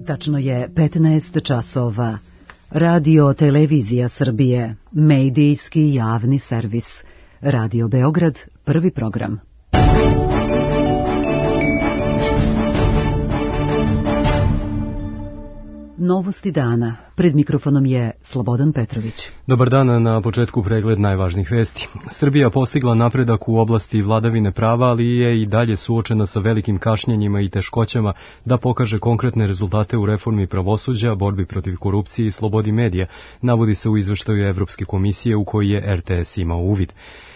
Tačno je 15 časova. Radio Televizija Srbije, medijski javni servis. Radio Beograd, prvi program. Novosti dana. Pred mikrofonom je Slobodan Petrović. Dobar dan, na početku pregled najvažnijih vesti. Srbija postigla napredak u oblasti vladavine prava, ali je i dalje suočena sa velikim kašnjenjima i teškoćama da pokaže konkretne rezultate u reformi pravosuđa, borbi protiv korupcije i slobodi medija, navodi se u izveštaju Evropske komisije u koji je RTS imao uvid.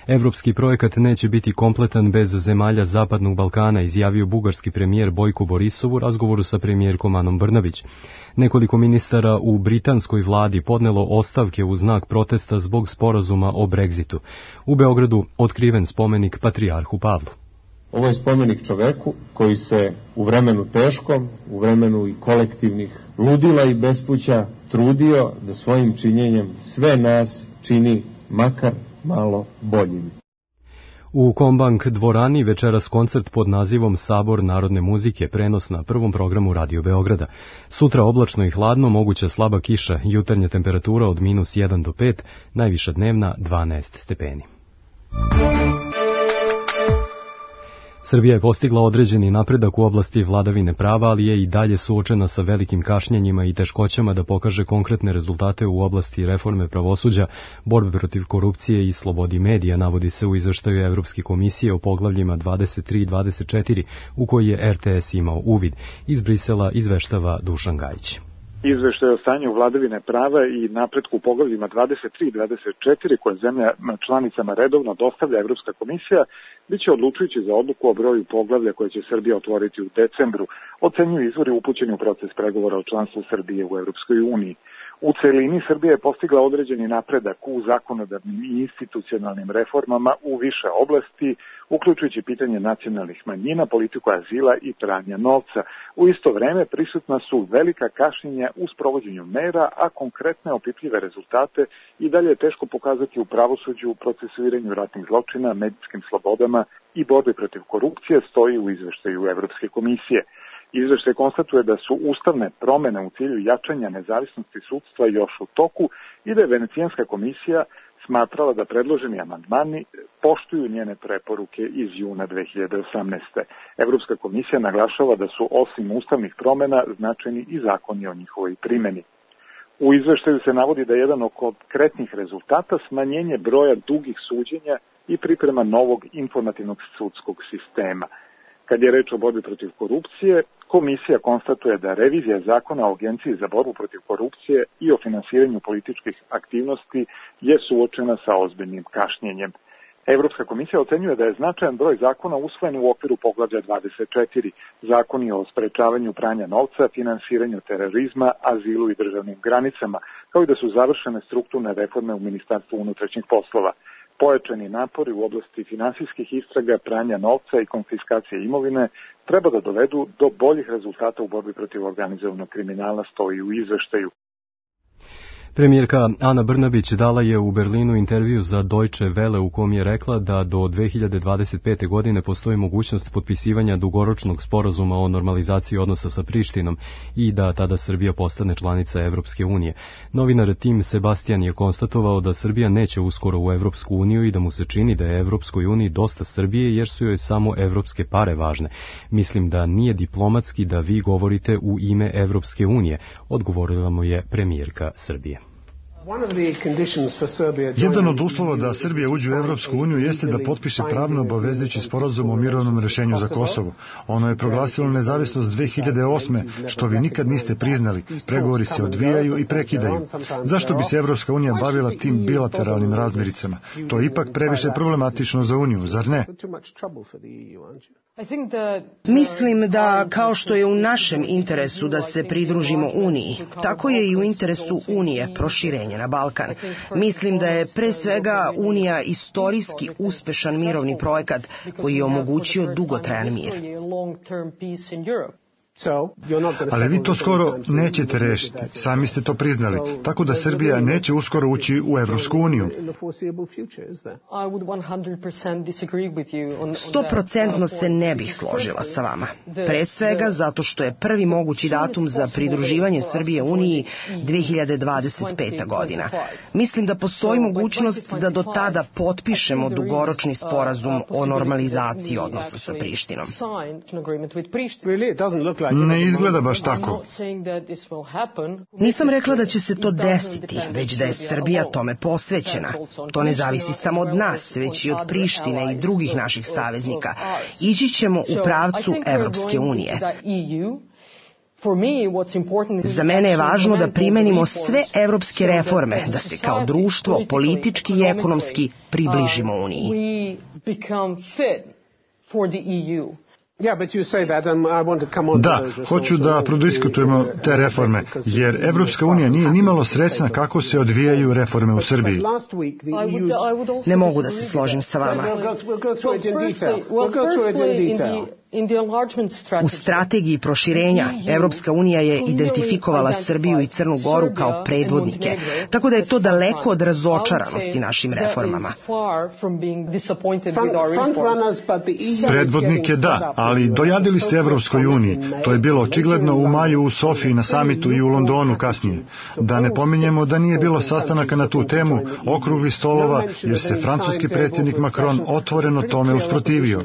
Evropski projekat neće biti kompletan bez zemalja Zapadnog Balkana, izjavio bugarski premijer Bojko Borisov u razgovoru sa premijerkom Anom Brnabić. Nekoliko ministara u britanskoj vladi podnelo ostavke u znak protesta zbog sporazuma o Brexitu. U Beogradu otkriven spomenik patrijarhu Pavlu. Ovo je spomenik čoveku koji se u vremenu teškom, u vremenu i kolektivnih ludila i bespuća trudio da svojim činjenjem sve nas čini makar malo boljim. U Kombank dvorani večeras koncert pod nazivom Sabor narodne muzike, prenos na prvom programu Radio Beograda. Sutra oblačno i hladno, moguća slaba kiša, jutarnja temperatura od -1 do 5, najviša dnevna 12 stepeni. Srbija je postigla određeni napredak u oblasti vladavine prava, ali je i dalje suočena sa velikim kašnjenjima i teškoćama da pokaže konkretne rezultate u oblasti reforme pravosuđa, borbe protiv korupcije i slobodi medija, navodi se u izveštaju Evropske komisije o poglavljima 23 i 24, u koji je RTS imao uvid. Iz Brisela izveštava Dušan Gajić. Izveštaj o stanju vladavine prava i napretku u poglavljima 23 i 24 koje zemlja članicama redovno dostavlja Evropska komisija biće odlučujući za odluku o broju poglavlja koje će Srbija otvoriti u decembru, ocenjuju izvori upućeni u proces pregovora o članstvu Srbije u Evropskoj uniji. U celini Srbija je postigla određeni napredak u zakonodavnim i institucionalnim reformama u više oblasti, uključujući pitanje nacionalnih manjina, politiku azila i pranja novca. U isto vreme prisutna su velika kašnjenja u sprovođenju mera, a konkretne opipljive rezultate i dalje je teško pokazati u pravosuđu, procesuiranju ratnih zločina, medijskim slobodama i borbi protiv korupcije, stoji u izveštaju Evropske komisije. Izveštaj konstatuje da su ustavne promene u cilju jačanja nezavisnosti sudstva još u toku i da je Venecijanska komisija smatrala da predloženi amandmani poštuju njene preporuke iz juna 2018. Evropska komisija naglašava da su osim ustavnih promena značajni i zakoni o njihovoj primjeni. U izveštaju se navodi da je jedan od konkretnih rezultata smanjenje broja dugih suđenja i priprema novog informativnog sudskog sistema. Kad je reč o borbi protiv korupcije, komisija konstatuje da revizija zakona o Agenciji za borbu protiv korupcije i o finansiranju političkih aktivnosti je suočena sa ozbiljnim kašnjenjem. Evropska komisija ocenjuje da je značajan broj zakona usvojen u okviru poglavlja 24, zakoni o sprečavanju pranja novca, finansiranju terorizma, azilu i državnim granicama, kao i da su završene strukturne reforme u Ministarstvu unutrašnjih poslova. Pojačani napori u oblasti finansijskih istraga, pranja novca i konfiskacije imovine treba da dovedu do boljih rezultata u borbi protiv organizovanog kriminala, stoji u izveštaju. Premijerka Ana Brnabić dala je u Berlinu intervju za Deutsche Welle u kom je rekla da do 2025. godine postoji mogućnost potpisivanja dugoročnog sporazuma o normalizaciji odnosa sa Prištinom i da tada Srbija postane članica Evropske unije. Novinar Tim Sebastian je konstatovao da Srbija neće uskoro u Evropsku uniju i da mu se čini da je Evropskoj uniji dosta Srbije jer su joj samo evropske pare važne. Mislim da nije diplomatski da vi govorite u ime Evropske unije, odgovorila mu je premijerka Srbije. Jedan od uslova da Srbija uđe u Evropsku uniju jeste da potpiše pravno obavezujući sporazum o mirovnom rešenju za Kosovo. Ono je proglasilo nezavisnost 2008. što vi nikad niste priznali. Pregovori se odvijaju i prekidaju. Zašto bi se Evropska unija bavila tim bilateralnim razmiricama? To je ipak previše problematično za uniju, zar ne? Mislim da kao što je u našem interesu da se pridružimo Uniji, tako je i u interesu Unije proširenje na Balkan. Mislim da je pre svega Unija istorijski uspešan mirovni projekat koji je omogućio dugotrajan mir. Ali vi to skoro nećete rešiti, sami ste to priznali, tako da Srbija neće uskoro ući u Evropsku uniju. 100% se ne bih složila sa vama. Pre svega zato što je prvi mogući datum za pridruživanje Srbije Uniji 2025. godina. Mislim da postoji mogućnost da do tada potpišemo dugoročni sporazum o normalizaciji odnosa sa Prištinom. Ne izgleda baš tako. Nisam rekla da će se to desiti, već da je Srbija tome posvećena. To ne zavisi samo od nas, već i od Prištine i drugih naših saveznika. Ići ćemo u pravcu Evropske unije. Za mene je važno da primenimo sve evropske reforme, da se kao društvo, politički i ekonomski približimo Uniji. Da, hoću da prodiskutujemo te reforme, jer Evropska unija nije nimalo srećna kako se odvijaju reforme u Srbiji. Ne mogu da se složim sa vama. U strategiji proširenja Evropska unija je identifikovala Srbiju i Crnu Goru kao predvodnike, tako da je to daleko od razočaranosti našim reformama. Predvodnike da, ali dojadili ste Evropskoj uniji. To je bilo očigledno u maju u Sofiji na samitu i u Londonu kasnije. Da ne pominjemo da nije bilo sastanaka na tu temu, okruglih stolova, jer se francuski predsjednik Macron otvoreno tome usprotivio.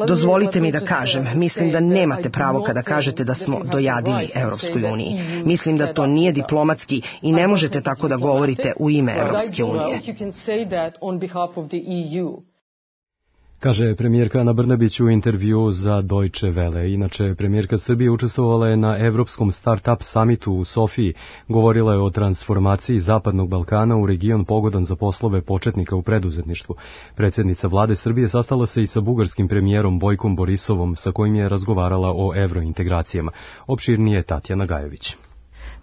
Dozvolite mi da kažem, mislim da nemate pravo kada kažete da smo dojadili Evropskoj uniji. Mislim da to nije diplomatski i ne možete tako da govorite u ime Evropske unije. Kaže premijerka Ana Brnabić u intervju za Deutsche Welle. Inače, premijerka Srbije učestvovala je na Evropskom Start-up samitu u Sofiji. Govorila je o transformaciji Zapadnog Balkana u region pogodan za poslove početnika u preduzetništvu. Predsjednica vlade Srbije sastala se i sa bugarskim premijerom Bojkom Borisovom, sa kojim je razgovarala o evrointegracijama. Opširnije Tatjana Gajević.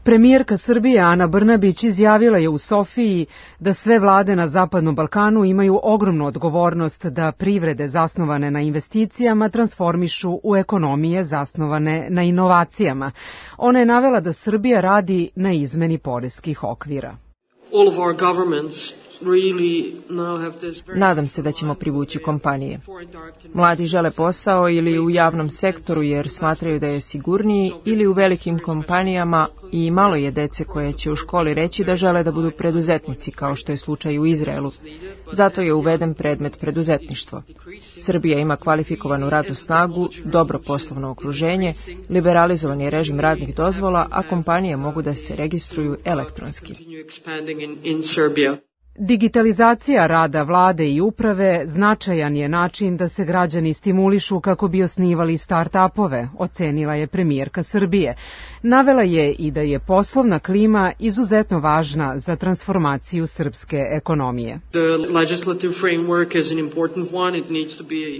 Premijerka Srbije Ana Brnabić izjavila je u Sofiji da sve vlade na Zapadnom Balkanu imaju ogromnu odgovornost da privrede zasnovane na investicijama transformišu u ekonomije zasnovane na inovacijama. Ona je navela da Srbija radi na izmeni poreskih okvira. Nadam se da ćemo privući kompanije. Mladi žele posao ili u javnom sektoru jer smatraju da je sigurniji, ili u velikim kompanijama, i malo je dece koje će u školi reći da žele da budu preduzetnici, kao što je slučaj u Izraelu. Zato je uveden predmet preduzetništvo. Srbija ima kvalifikovanu radnu snagu, dobro poslovno okruženje, liberalizovan je režim radnih dozvola, a kompanije mogu da se registruju elektronski. Digitalizacija rada vlade i uprave značajan je način da se građani stimulišu kako bi osnivali start-upove, ocenila je premijerka Srbije. Navela je i da je poslovna klima izuzetno važna za transformaciju srpske ekonomije.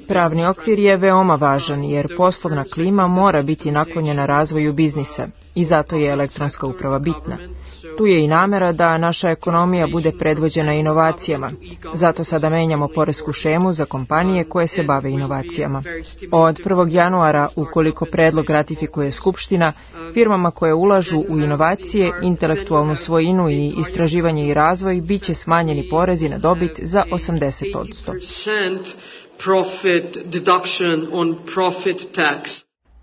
Pravni okvir je veoma važan jer poslovna klima mora biti naklonjena razvoju biznisa i zato je elektronska uprava bitna. Tu je i namera da naša ekonomija bude predvođena inovacijama. Zato sada menjamo poresku šemu za kompanije koje se bave inovacijama. Od 1. januara, ukoliko predlog ratifikuje Skupština, firmama koje ulažu u inovacije, intelektualnu svojinu i istraživanje i razvoj biće smanjeni porezi na dobit za 80%.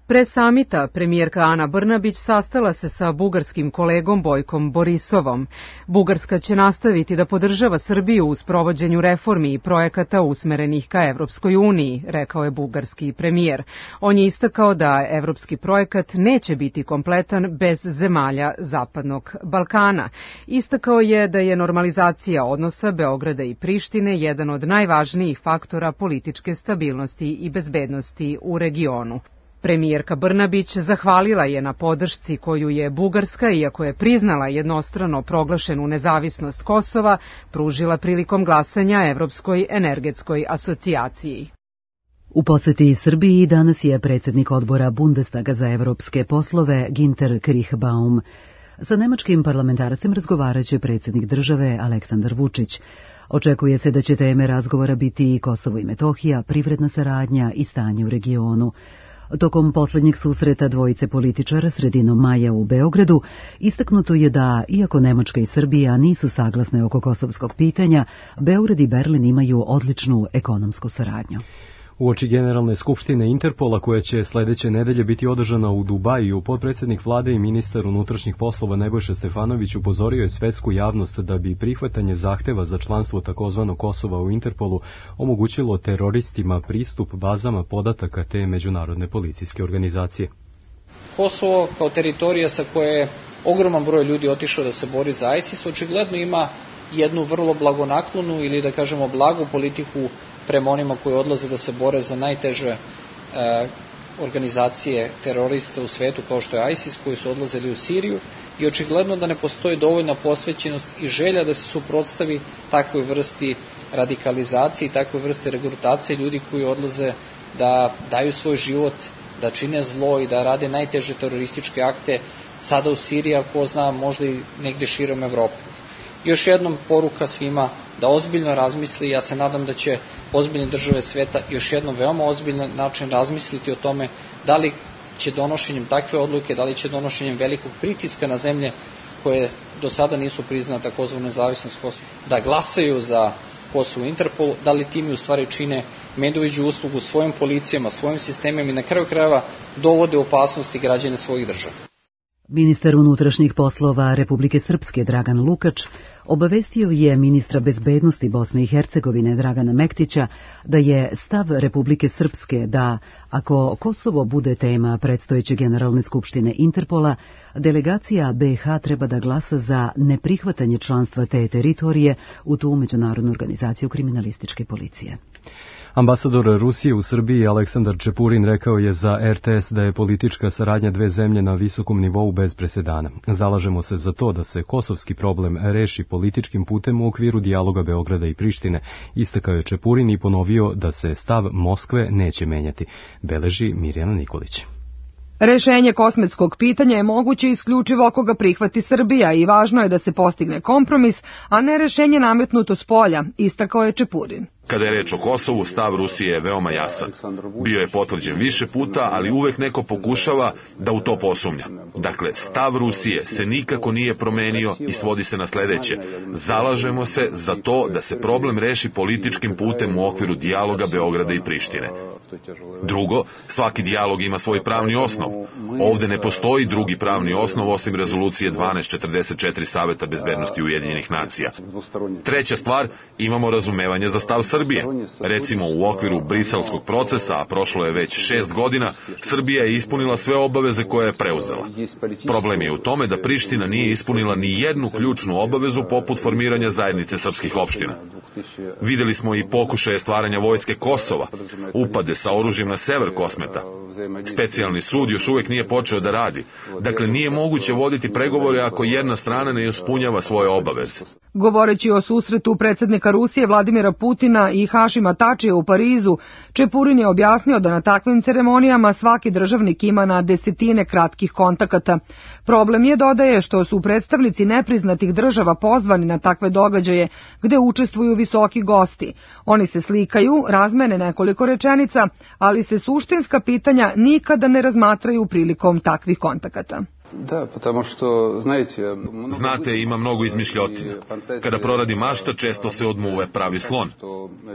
Pre samita premijerka Ana Brnabić sastala se sa bugarskim kolegom Bojkom Borisovom. Bugarska će nastaviti da podržava Srbiju u sprovođenju reformi i projekata usmerenih ka Evropskoj uniji, rekao je bugarski premijer. On je istakao da evropski projekat neće biti kompletan bez zemalja Zapadnog Balkana. Istakao je da je normalizacija odnosa Beograda i Prištine jedan od najvažnijih faktora političke stabilnosti i bezbednosti u regionu. Premijerka Brnabić zahvalila je na podršci koju je Bugarska, iako je priznala jednostrano proglašenu nezavisnost Kosova, pružila prilikom glasanja Evropskoj energetskoj asocijaciji. U poseti Srbiji danas je predsjednik odbora Bundestaga za evropske poslove Ginter Krichbaum. Sa nemačkim parlamentarcem razgovaraće predsjednik države Aleksandar Vučić. Očekuje se da će teme razgovora biti i Kosovo i Metohija, privredna saradnja i stanje u regionu. Tokom posljednjeg susreta dvojice političara sredinom maja u Beogradu istaknuto je da, iako Nemačka i Srbija nisu saglasne oko kosovskog pitanja, Beograd i Berlin imaju odličnu ekonomsku saradnju. Uoči Generalne skupštine Interpola, koja će sledeće nedelje biti održana u Dubaju, potpredsjednik vlade i ministar unutrašnjih poslova Nebojša Stefanović upozorio je svetsku javnost da bi prihvatanje zahteva za članstvo takozvanog Kosova u Interpolu omogućilo teroristima pristup bazama podataka te međunarodne policijske organizacije. Kosovo kao teritorija sa koje je ogroman broj ljudi otišao da se bori za ISIS očigledno ima jednu vrlo blagonaklonu ili da kažemo blagu politiku prema onima koji odlaze da se bore za najteže organizacije terorista u svetu kao što je ISIS, koji su odlazili u Siriju, i očigledno da ne postoji dovoljna posvećenost i želja da se suprotstavi takvoj vrsti radikalizacije i takvoj vrsti regrutacije ljudi koji odlaze da daju svoj život, da čine zlo i da rade najteže terorističke akte sada u Siriji, a ko zna možda i negdje širom Evrope. Još jednom poruka svima da ozbiljno razmisli. Ja se nadam da će ozbiljne države sveta još jednom veoma ozbiljan način razmisliti o tome da li će donošenjem takve odluke, da li će donošenjem velikog pritiska na zemlje koje do sada nisu priznale takozvanu nezavisnost Kosova, da glasaju za Kosovo u Interpolu, da li time u stvari čine medveđu uslugu svojim policijama, svojim sistemima i na kraju krajeva dovode u opasnosti građane svojih država. Ministar unutrašnjih poslova Republike Srpske Dragan Lukač obavestio je ministra bezbednosti Bosne i Hercegovine Dragana Mektića da je stav Republike Srpske da, ako Kosovo bude tema predstojeće Generalne skupštine Interpola, delegacija BiH treba da glasa za neprihvatanje članstva te teritorije u tu međunarodnu organizaciju kriminalističke policije. Ambasador Rusije u Srbiji Aleksandar Čepurin rekao je za RTS da je politička saradnja dve zemlje na visokom nivou bez presedana. Zalažemo se za to da se kosovski problem reši političkim putem u okviru dijaloga Beograda i Prištine, istakao je Čepurin i ponovio da se stav Moskve neće menjati, beleži Mirjana Nikolić. Rešenje kosmetskog pitanja je moguće isključivo ako ga prihvati Srbija i važno je da se postigne kompromis, a ne rešenje nametnuto s polja, istakao je Čepurin. Kada je reč o Kosovu, stav Rusije je veoma jasan. Bio je potvrđen više puta, ali uvek neko pokušava da u to posumnja. Dakle, stav Rusije se nikako nije promenio i svodi se na sledeće. Zalažemo se za to da se problem reši političkim putem u okviru dijaloga Beograda i Prištine. Drugo, svaki dijalog ima svoj pravni osnov. Ovde ne postoji drugi pravni osnov osim rezolucije 1244 Saveta bezbednosti Ujedinjenih nacija. Treća stvar, imamo razumevanje za stav Srbije. Recimo, u okviru briselskog procesa, a prošlo je već 6 godina, Srbija je ispunila sve obaveze koje je preuzela. Problem je u tome da Priština nije ispunila ni jednu ključnu obavezu poput formiranja zajednice srpskih opština. Videli smo i pokušaje stvaranja vojske Kosova, upade sa oružjem na sever Kosmeta. Specijalni sud još uvek nije počeo da radi. Dakle, nije moguće voditi pregovore ako jedna strana ne ispunjava svoje obaveze. Govoreći o susretu predsjednika Rusije Vladimira Putina i Hašima Tačija u Parizu, Čepurin je objasnio da na takvim ceremonijama svaki državnik ima na desetine kratkih kontakata. Problem je, dodaje, što su predstavnici nepriznatih država pozvani na takve događaje gde učestvuju visoki gosti. Oni se slikaju, razmene nekoliko rečenica, ali se suštinska pitanja nikada ne razmatraju prilikom takvih kontakata. Znate, ima mnogo izmišljotina. Kada proradi mašta, često se odmuve pravi slon.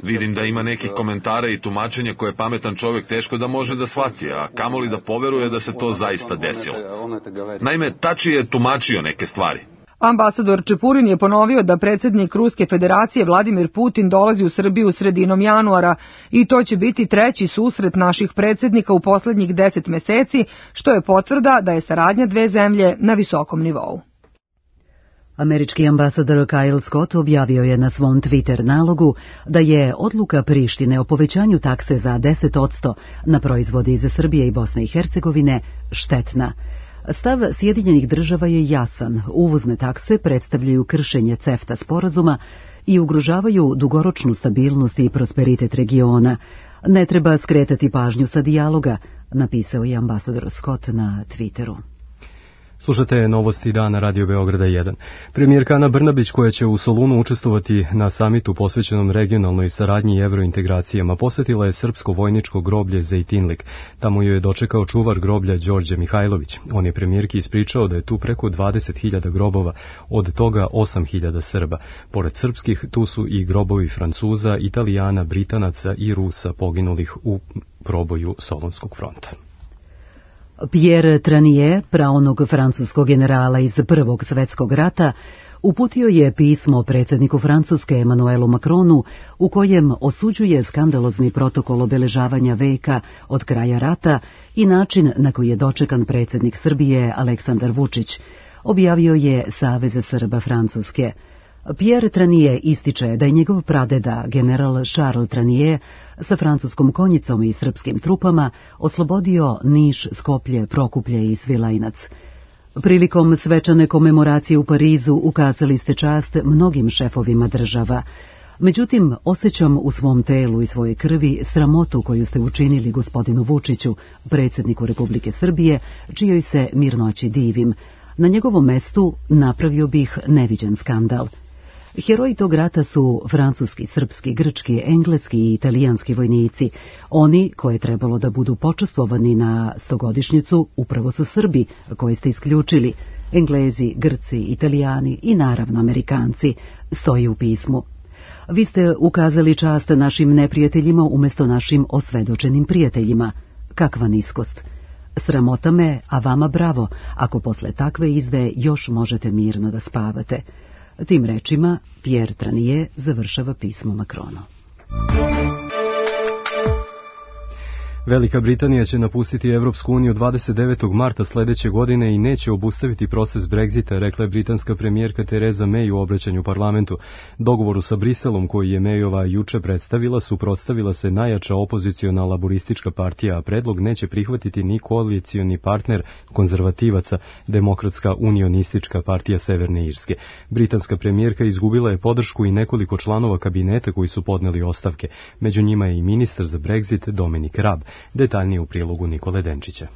Vidim da ima nekih komentara i tumačenja koje pametan čovjek teško da može da shvati, a kamoli da poveruje da se to zaista desilo. Naime, Tači je tumačio neke stvari. Ambasador Čepurin je ponovio da predsjednik Ruske federacije Vladimir Putin dolazi u Srbiju sredinom januara i to će biti treći susret naših predsjednika u poslednjih 10 meseci, što je potvrda da je saradnja dve zemlje na visokom nivou. Američki ambasador Kyle Scott objavio je na svom Twitter nalogu da je odluka Prištine o povećanju takse za 10% na proizvode iz Srbije i Bosne i Hercegovine štetna. Stav Sjedinjenih država je jasan. Uvozne takse predstavljaju kršenje CEFTA sporazuma i ugrožavaju dugoročnu stabilnost i prosperitet regiona. Ne treba skretati pažnju sa dijaloga, napisao je ambasador Scott na Twitteru. Slušate novosti dana Radio Beograda 1. Premijerka Ana Brnabić, koja će u Solunu učestvovati na samitu posvećenom regionalnoj saradnji i evrointegracijama, posetila je srpsko vojničko groblje Zejtinlik. Tamo joj je dočekao čuvar groblja Đorđe Mihajlović. On je premijerki ispričao da je tu preko 20.000 grobova, od toga 8.000 Srba. Pored srpskih, tu su i grobovi Francuza, Italijana, Britanaca i Rusa poginulih u proboju Solunskog fronta. Pierre Tranier, praonog francuskog generala iz Prvog svetskog rata, uputio je pismo predsjedniku Francuske Emmanuelu Macronu u kojem osuđuje skandalozni protokol obeležavanja veka od kraja rata i način na koji je dočekan predsjednik Srbije Aleksandar Vučić, objavio je Savez Srba Francuske. Pierre Tranier ističe da je njegov pradeda, general Charles Tranier, sa francuskom konjicom i srpskim trupama oslobodio Niš, Skoplje, Prokuplje i Svilajnac. Prilikom svečane komemoracije u Parizu ukazali ste čast mnogim šefovima država. Međutim, osjećam u svom telu i svojoj krvi sramotu koju ste učinili gospodinu Vučiću, predsjedniku Republike Srbije, čijoj se mirnoći divim. Na njegovom mestu napravio bih neviđen skandal. Heroji tog rata su francuski, srpski, grčki, engleski i italijanski vojnici. Oni, koje je trebalo da budu počastvovani na 100-godišnjicu, upravo su Srbi, koje ste isključili. Englezi, Grci, Italijani i naravno Amerikanci, stoji u pismu. Vi ste ukazali čast našim neprijateljima umjesto našim osvedočenim prijateljima. Kakva niskost! Sramota me, a vama bravo, ako posle takve izdaje još možete mirno da spavate. Tim rečima Pierre Tranier završava pismo Macronu. Velika Britanija će napustiti Evropsku uniju 29. marta sledeće godine i neće obustaviti proces Brexita, rekla je britanska premijerka Theresa May u obraćanju parlamentu. Dogovoru sa Briselom, koji je Mayova juče predstavila, suprotstavila se najjača opoziciona laboristička partija, a predlog neće prihvatiti ni koalicioni partner konzervativaca, Demokratska unionistička partija Severne Irske. Britanska premijerka izgubila je podršku i nekoliko članova kabineta koji su podneli ostavke. Među njima je i ministar za Brexit Dominic Raab. Detaljnije u prilogu Nikole Denčića.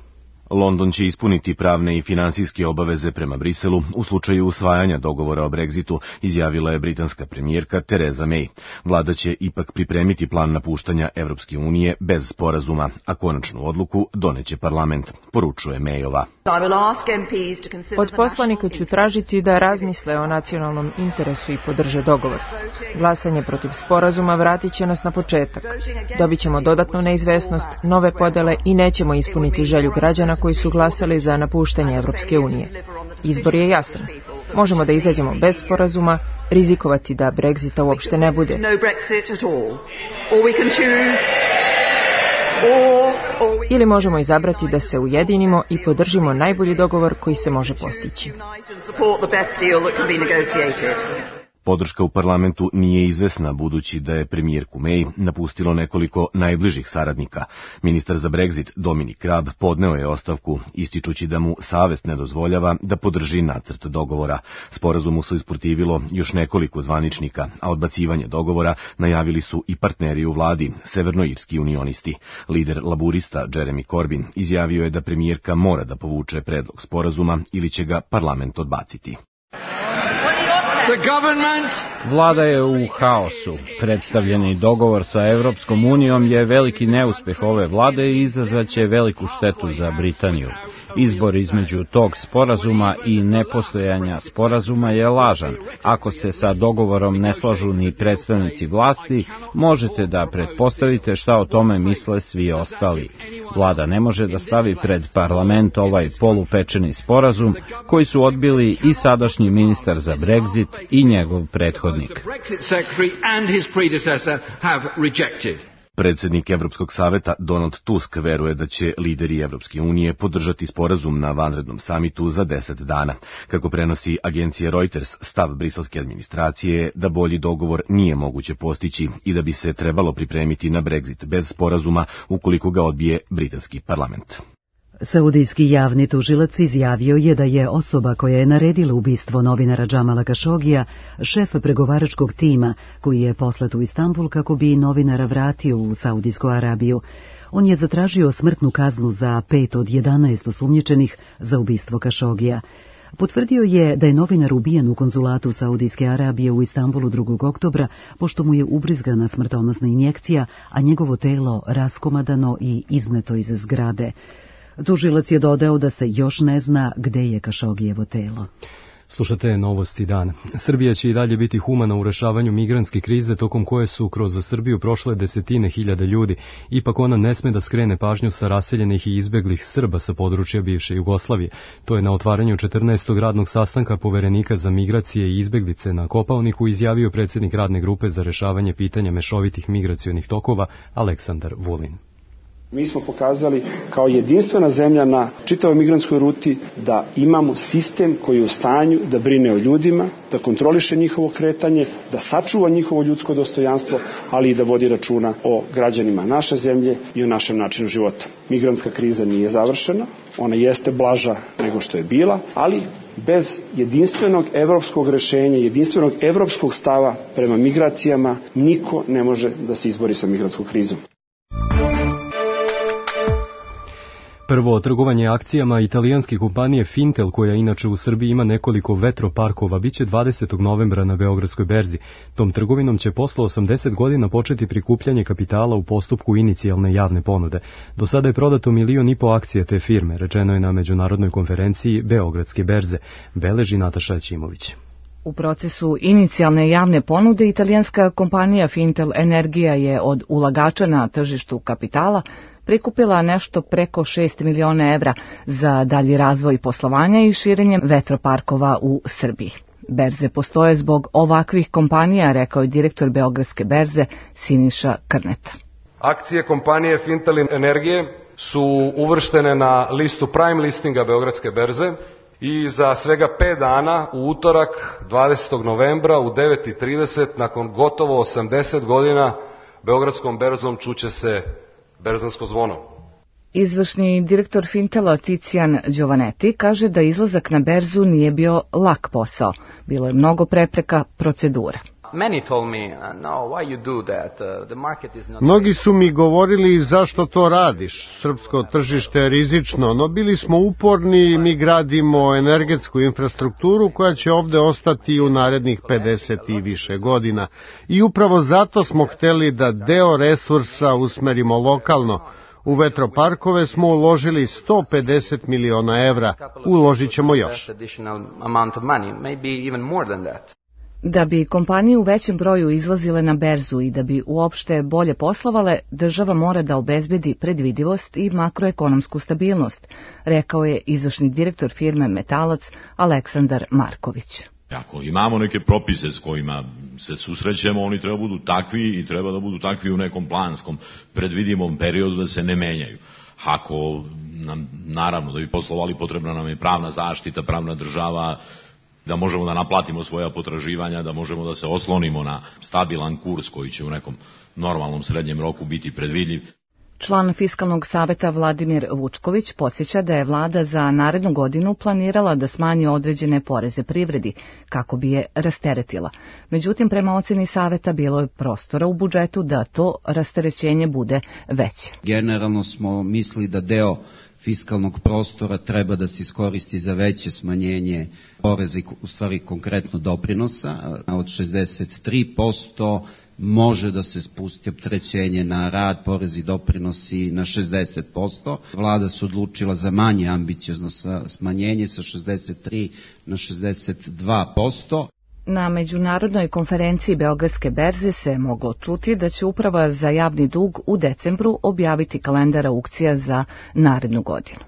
London će ispuniti pravne i finansijske obaveze prema Briselu u slučaju usvajanja dogovora o Brexitu, izjavila je britanska premijerka Theresa May. Vlada će ipak pripremiti plan napuštanja Evropske unije bez sporazuma, a konačnu odluku doneće parlament, poručuje Mayova. Od poslanika ću tražiti da razmisle o nacionalnom interesu i podrže dogovor. Glasanje protiv sporazuma vratit će nas na početak. Dobit ćemo dodatnu neizvesnost, nove podele i nećemo ispuniti želju građana koji su glasali za napuštanje Evropske unije. Izbor je jasan. Možemo da izađemo bez sporazuma, rizikovati da Brexita uopšte ne bude. Ili možemo izabrati da se ujedinimo i podržimo najbolji dogovor koji se može postići. Podrška u parlamentu nije izvesna, budući da je premijerku May napustilo nekoliko najbližih saradnika. Ministar za Brexit Dominic Raab podneo je ostavku, ističući da mu savest ne dozvoljava da podrži nacrt dogovora. Sporazumu su isprotivilo još nekoliko zvaničnika, a odbacivanje dogovora najavili su i partneri u vladi, severnoirski unionisti. Lider laburista Jeremy Corbyn izjavio je da premijerka mora da povuče predlog sporazuma ili će ga parlament odbaciti. Vlada je u haosu. Predstavljeni dogovor sa Evropskom unijom je veliki neuspeh ove vlade i izazvaće veliku štetu za Britaniju. Izbor između tog sporazuma i nepostojanja sporazuma je lažan. Ako se sa dogovorom ne slažu ni predstavnici vlasti, možete da pretpostavite šta o tome misle svi ostali. Vlada ne može da stavi pred parlament ovaj polupečeni sporazum koji su odbili i sadašnji ministar za Brexit i njegov prethodnik. Predsjednik Evropskog saveta Donald Tusk veruje da će lideri Evropske unije podržati sporazum na vanrednom samitu za 10 dana. Kako prenosi agencija Reuters, stav briselske administracije je da bolji dogovor nije moguće postići i da bi se trebalo pripremiti na Brexit bez sporazuma ukoliko ga odbije britanski parlament. Saudijski javni tužilac izjavio je da je osoba koja je naredila ubistvo novinara Džamala Kašogija šef pregovaračkog tima koji je poslat u Istanbul kako bi novinara vratio u Saudijsku Arabiju. On je zatražio smrtnu kaznu za 5 od 11 osumnjičenih za ubistvo Kašogija. Potvrdio je da je novinar ubijen u konzulatu Saudijske Arabije u Istanbulu 2. oktobra, pošto mu je ubrizgana smrtonosna injekcija, a njegovo telo raskomadano i izneto iz zgrade. Tužilac je dodao da se još ne zna gde je Kašogijevo telo. Slušate Novosti dana. Srbija će i dalje biti humana u rešavanju migrantske krize tokom koje su kroz Srbiju prošle desetine hiljada ljudi. Ipak ona ne sme da skrene pažnju sa raseljenih i izbeglih Srba sa područja bivše Jugoslavije. To je na otvaranju 14. radnog sastanka Poverenika za migracije i izbeglice na Kopaoniku izjavio predsjednik radne grupe za rešavanje pitanja mešovitih migracionih tokova Aleksandar Vulin. Mi smo pokazali kao jedinstvena zemlja na čitavoj migrantskoj ruti da imamo sistem koji je u stanju da brine o ljudima, da kontroliše njihovo kretanje, da sačuva njihovo ljudsko dostojanstvo, ali i da vodi računa o građanima naše zemlje i o našem načinu života. Migrantska kriza nije završena, ona jeste blaža nego što je bila, ali bez jedinstvenog evropskog rešenja, jedinstvenog evropskog stava prema migracijama, niko ne može da se izbori sa migrantskom krizom. Prvo trgovanje akcijama italijanske kompanije Fintel, koja inače u Srbiji ima nekoliko vetroparkova, biće 20. novembra na Beogradskoj berzi. Tom trgovinom će posle 80 godina početi prikupljanje kapitala u postupku inicijalne javne ponude. Do sada je prodato 1,5 miliona akcija te firme, rečeno je na međunarodnoj konferenciji Beogradske berze, beleži Nataša Ćimović. U procesu inicijalne javne ponude italijanska kompanija Fintel Energija je od ulagača na tržištu kapitala prikupila nešto preko 6 miliona evra za dalji razvoj poslovanja i širenje vetroparkova u Srbiji. Berze postoje zbog ovakvih kompanija, rekao je direktor Beogradske berze Siniša Krneta. Akcije kompanije Fintel Energije su uvrštene na listu Prime listinga Beogradske berze i za svega 5 dana u utorak 20. novembra u 9:30 nakon gotovo 80 godina Beogradskom berzom čuće se berzansko zvono. Izvršni direktor Fintela Ticijan Giovanetti kaže da izlazak na berzu nije bio lak posao. Bilo je mnogo prepreka, procedura. Mnogi su mi govorili zašto to radiš, srpsko tržište je rizično, no bili smo uporni, mi gradimo energetsku infrastrukturu koja će ovde ostati u narednih 50 i više godina. I upravo zato smo hteli da deo resursa usmerimo lokalno. U vetroparkove smo uložili 150 miliona evra, uložit ćemo još. Da bi kompanije u većem broju izlazile na berzu i da bi uopšte bolje poslovale, država mora da obezbedi predvidivost i makroekonomsku stabilnost, rekao je izvršni direktor firme Metalac Aleksandar Marković. Ako imamo neke propise s kojima se susrećemo, oni treba budu takvi i treba da budu takvi u nekom planskom, predvidivom periodu da se ne menjaju. Ako nam, naravno, da bi poslovali, potrebna nam je pravna zaštita, pravna država, da možemo da naplatimo svoja potraživanja, da možemo da se oslonimo na stabilan kurs koji će u nekom normalnom srednjem roku biti predvidljiv. Član Fiskalnog saveta Vladimir Vučković podsjeća da je vlada za narednu godinu planirala da smanji određene poreze privredi kako bi je rasteretila. Međutim, prema oceni saveta bilo je prostora u budžetu da to rasterećenje bude veće. Generalno smo mislili da deo fiskalnog prostora treba da se iskoristi za veće smanjenje poreza, u stvari konkretno doprinosa, od 63% može da se spusti opterećenje na rad, porezi i doprinosi na 60%. Vlada se odlučila za manje ambiciozno smanjenje sa 63 na 62%. Na međunarodnoj konferenciji Beogradske berze se moglo čuti da će Uprava za javni dug u decembru objaviti kalendar aukcija za narednu godinu.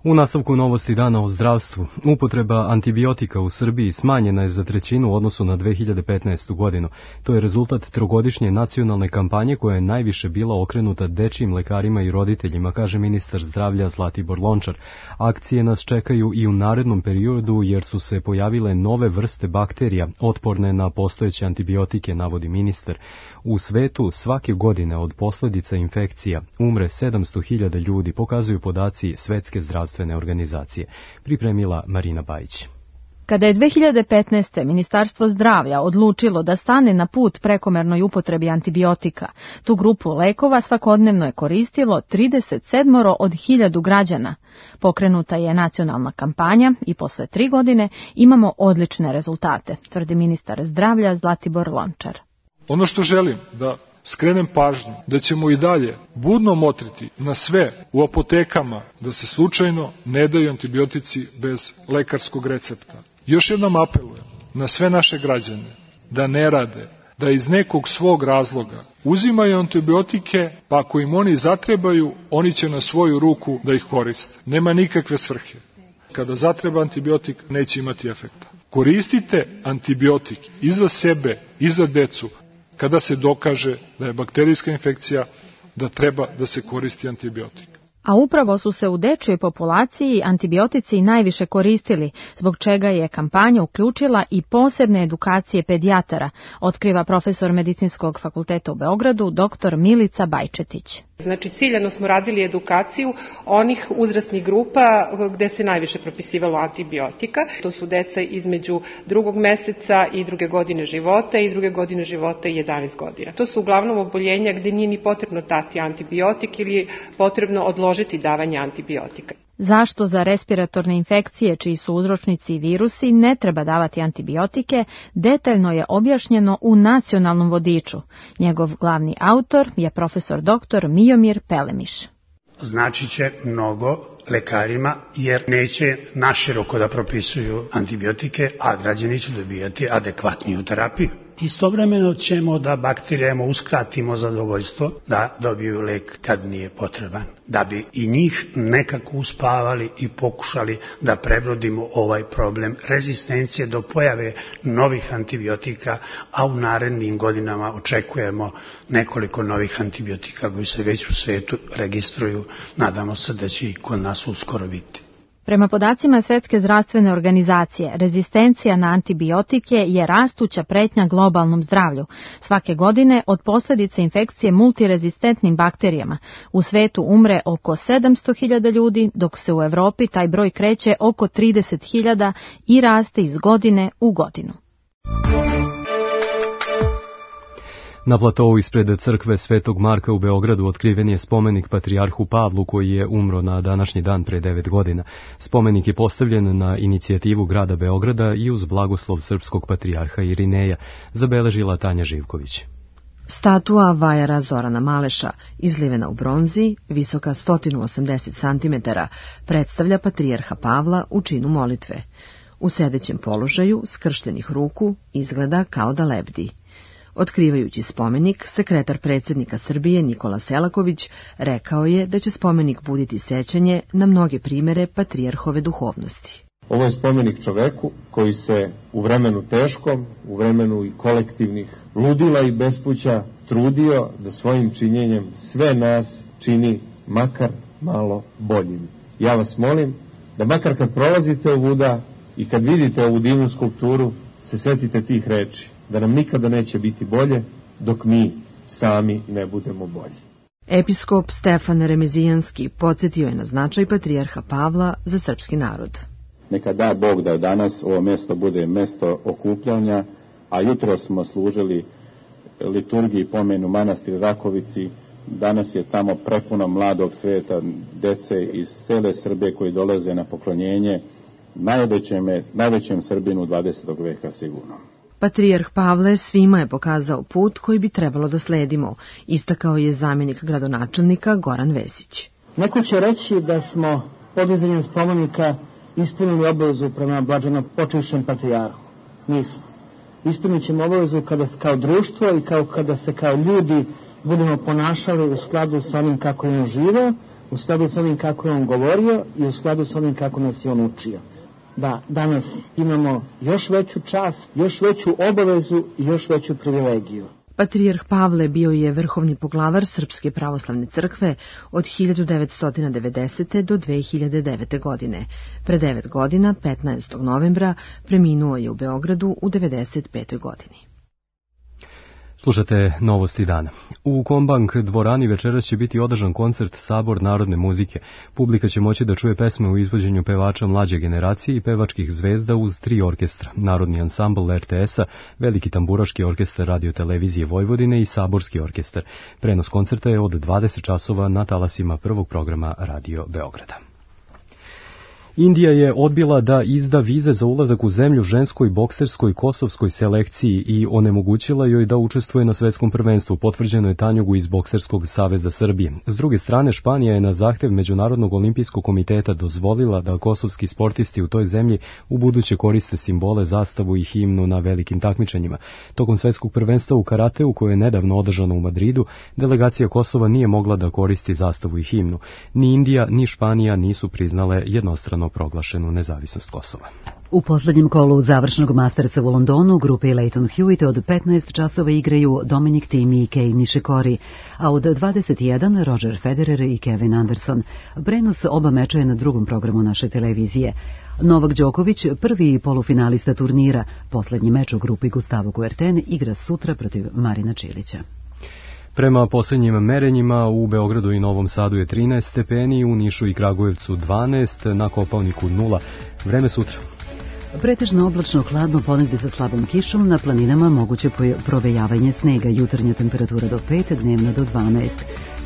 U nastavku novosti dana o zdravstvu, upotreba antibiotika u Srbiji smanjena je za trećinu u odnosu na 2015. godinu. To je rezultat trogodišnje nacionalne kampanje koja je najviše bila okrenuta dečijim lekarima i roditeljima, kaže ministar zdravlja Zlatibor Lončar. Akcije nas čekaju i u narednom periodu jer su se pojavile nove vrste bakterija otporne na postojeće antibiotike, navodi ministar. U svetu svake godine od posljedica infekcija umre 700.000 ljudi, pokazuju podaci Svetske zdravstvene organizacije. Pripremila Marina Bajić. Kada je 2015. Ministarstvo zdravlja odlučilo da stane na put prekomernoj upotrebi antibiotika, tu grupu lekova svakodnevno je koristilo 37 od 1000 građana. Pokrenuta je nacionalna kampanja i posle 3 godine imamo odlične rezultate, tvrdi ministar zdravlja Zlatibor Lončar. Ono što želim da skrenem pažnju, da ćemo i dalje budno motriti na sve u apotekama da se slučajno ne daju antibiotici bez lekarskog recepta. Još jednom apelujem na sve naše građane da ne rade, da iz nekog svog razloga uzimaju antibiotike, pa ako im oni zatrebaju, oni će na svoju ruku da ih koriste. Nema nikakve svrhe. Kada zatreba antibiotik, neće imati efekta. Koristite antibiotik i za sebe, i za decu, kada se dokaže da je bakterijska infekcija, da treba da se koristi antibiotik. A upravo su se u dečjoj populaciji antibiotici najviše koristili, zbog čega je kampanja uključila i posebne edukacije pedijatara, otkriva profesor Medicinskog fakulteta u Beogradu, dr. Milica Bajčetić. Znači, ciljano smo radili edukaciju onih uzrasnih grupa gde se najviše propisivalo antibiotika. To su deca između 2. meseca i 2. godine života i 2. godine života i 11 godina. To su uglavnom oboljenja gde nije ni potrebno dati antibiotik ili je potrebno odložiti davanje antibiotika. Zašto za respiratorne infekcije, čiji su uzročnici virusi, ne treba davati antibiotike, detaljno je objašnjeno u nacionalnom vodiču. Njegov glavni autor je profesor dr. Mijomir Pelemiš. Znači će mnogo lekarima jer neće naširoko da propisuju antibiotike, a građani će dobijati adekvatniju terapiju. Istovremeno ćemo da bakterijama uskratimo zadovoljstvo da dobiju lek kad nije potreban, da bi i njih nekako uspavali i pokušali da prebrodimo ovaj problem rezistencije do pojave novih antibiotika, a u narednim godinama očekujemo nekoliko novih antibiotika koji se već u svetu registruju. Nadamo se da će i kod nas uskoro biti. Prema podacima Svetske zdravstvene organizacije, rezistencija na antibiotike je rastuća pretnja globalnom zdravlju. Svake godine od posljedice infekcije multirezistentnim bakterijama u svetu umre oko 700.000 ljudi, dok se u Evropi taj broj kreće oko 30.000 i raste iz godine u godinu. Na platovu ispred crkve Svetog Marka u Beogradu otkriven je spomenik patrijarhu Pavlu koji je umro na današnji dan pre 9 godina. Spomenik je postavljen na inicijativu grada Beograda i uz blagoslov srpskog patrijarha Irineja, zabeležila Tanja Živković. Statua vajara Zorana Maleša, izlivena u bronzi, visoka 180 cm, predstavlja patrijarha Pavla u činu molitve. U sedećem položaju, skrštenih ruku, izgleda kao da lebdi. Otkrivajući spomenik, sekretar predsjednika Srbije Nikola Selaković rekao je da će spomenik buditi sećanje na mnoge primere patrijarhove duhovnosti. Ovo je spomenik čoveku koji se u vremenu teškom, u vremenu i kolektivnih ludila i bespuća trudio da svojim činjenjem sve nas čini makar malo boljim. Ja vas molim da makar kad prolazite ovuda i kad vidite ovu divnu skulpturu, se setite tih reči, da nam nikada neće biti bolje dok mi sami ne budemo bolji. Episkop Stefan Remezijanski podsjetio je na značaj patrijarha Pavla za srpski narod. Neka da Bog da danas ovo mjesto bude mjesto okupljanja, a jutro smo služili liturgiji pomenu manastir Rakovici. Danas je tamo prepuno mladog sveta, dece iz cele Srbije koji dolaze na poklonjenje najvećem Srbinu 20. veka sigurno. Patrijarh Pavle svima je pokazao put koji bi trebalo da sledimo, istakao je zamjenik gradonačelnika Goran Vesić. Neko će reći da smo podizanjem spomenika ispunili obavezu prema blaženo počivšem patrijarhu. Nismo. Ispunit ćemo obavezu kada kao društvo i kada se kao ljudi budemo ponašali u skladu sa onim kako je on živeo, u skladu s onim kako je on govorio i u skladu s onim kako nas je on učio. Da danas imamo još veću čast, još veću obavezu i još veću privilegiju. Patrijarh Pavle bio je vrhovni poglavar Srpske pravoslavne crkve od 1990. do 2009. godine. Pre 9 godina, 15. novembra, preminuo je u Beogradu u 95. godini. Slušate novosti dana. U Kombank dvorani večeras će biti održan koncert Sabor narodne muzike. Publika će moći da čuje pesme u izvođenju pevača mlađe generacije i pevačkih zvezda uz 3 orkestra. Narodni ansambl RTS-a, Veliki tamburaški orkestar Radio-televizije Vojvodine i Saborski orkestar. Prenos koncerta je od 20 časova na talasima prvog programa Radio Beograda. Indija je odbila da izda vize za ulazak u zemlju ženskoj bokserskoj kosovskoj selekciji i onemogućila joj da učestvuje na svetskom prvenstvu, potvrđeno je Tanjugu iz Bokserskog saveza Srbije. S druge strane, Španija je na zahtev Međunarodnog olimpijskog komiteta dozvolila da kosovski sportisti u toj zemlji ubuduće koriste simbole, zastavu i himnu na velikim takmičenjima. Tokom svetskog prvenstva u karateu, koje je nedavno održano u Madridu, delegacija Kosova nije mogla da koristi zastavu i himnu. Ni Indija, ni Španija nisu priznale jednostrano proglašenu nezavisnost Kosova. U poslednjem kolu završnog Mastersa u Londonu grupe Leighton Hewitt od 15 časova igraju Dominic Thiem i Kei Nishikori, a od 21 Roger Federer i Kevin Anderson. Prenos oba meča je na drugom programu naše televizije. Novak Đoković, prvi polufinalista turnira, poslednji meč u grupi Gustavo Kuerten, igra sutra protiv Marina Čilića. Prema posljednjim merenjima u Beogradu i Novom Sadu je 13 stepeni, u Nišu i Kragujevcu 12, na Kopaoniku 0. Vreme sutra. Pretežno oblačno, hladno, ponegde sa slabom kišom, na planinama moguće provejavanje snega, jutarnja temperatura do 5, dnevna do 12.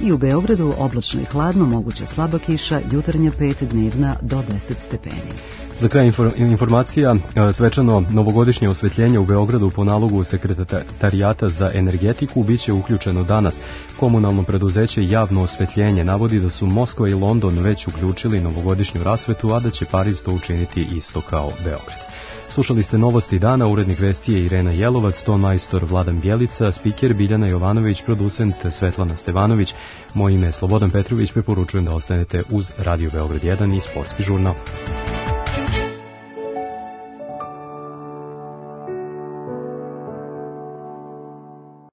I u Beogradu oblačno i hladno, moguća slaba kiša, jutarnja 5, dnevna do 10 stepeni. Za kraj informacija, svečano novogodišnje osvetljenje u Beogradu po nalogu Sekretarijata za energetiku biće uključeno danas. Komunalno preduzeće Javno osvetljenje navodi da su Moskva i London već uključili novogodišnju rasvetu, a da će Pariz to učiniti isto kao Beograd. Slušali ste novosti dana, urednik vesti je Irena Jelovac, ton majstor Vladan Bjelica, spiker Biljana Jovanović, producent Svetlana Stevanović. Moje ime je Slobodan Petrović, preporučujem da ostanete uz Radio Beograd 1 i Sportski žurnal.